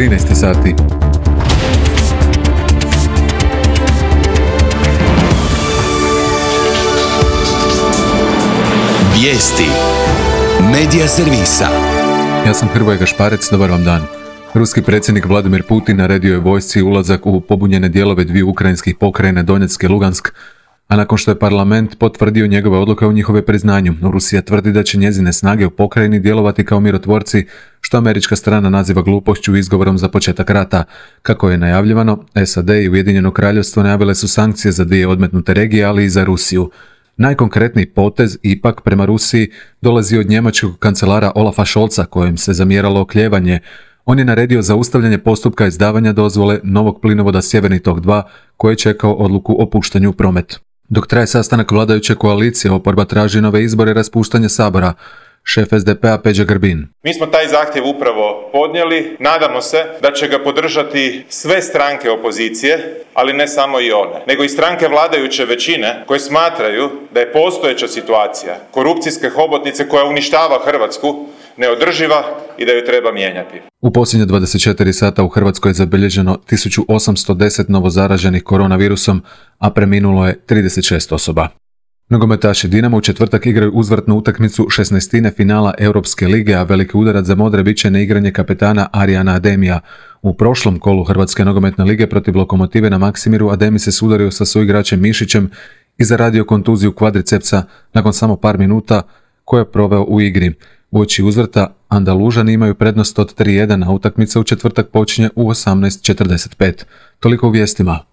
13 sati. Vijesti Medija servisa. Ja sam Hrvoje Gašparec, dobar vam dan. Ruski predsjednik Vladimir Putin naredio je vojsci ulazak u pobunjene dijelove dviju ukrajinskih pokrajina Donjeck i Lugansk, a nakon što je parlament potvrdio njegove odluke o njihove priznanju, Rusija tvrdi da će njezine snage u pokrajini djelovati kao mirotvorci, što američka strana naziva glupošću i izgovorom za početak rata. Kako je najavljivano, SAD i Ujedinjeno Kraljevstvo najavile su sankcije za dvije odmetnute regije, ali i za Rusiju. Najkonkretniji potez ipak prema Rusiji dolazi od njemačkog kancelara Olafa Scholza, kojem se zamjeralo oklijevanje. On je naredio zaustavljanje postupka izdavanja dozvole novog plinovoda Sjeverni tok 2, koji je čekao odluku o puštanju u promet. Dok traje sastanak vladajuće koalicije, oporba traži nove izbore i raspuštanje Sabora. Šef SDP-a Peđa Grbin. Mi smo taj zahtjev upravo podnijeli. Nadamo se da će ga podržati sve stranke opozicije, ali ne samo i one, nego i stranke vladajuće većine koje smatraju da je postojeća situacija korupcijske hobotnice koja uništava Hrvatsku neodrživa i da ju treba mijenjati. U posljednje 24 sata u Hrvatskoj je zabilježeno 1810 novozaraženih koronavirusom, a preminulo je 36 osoba. Nogometaši Dinama u četvrtak igraju uzvratnu utakmicu 16. finala Europske lige, a veliki udarac za modre bit će neigranje kapetana Arijana Ademija. U prošlom kolu Hrvatske nogometne lige protiv Lokomotive na Maksimiru Ademi se sudario sa suigračem Mišićem i zaradio kontuziju kvadricepsa nakon samo par minuta koje je proveo u igri. Uoči uzvrta Andalužani imaju prednost od 3-1, a utakmica u četvrtak počinje u 18:45. Toliko u vijestima.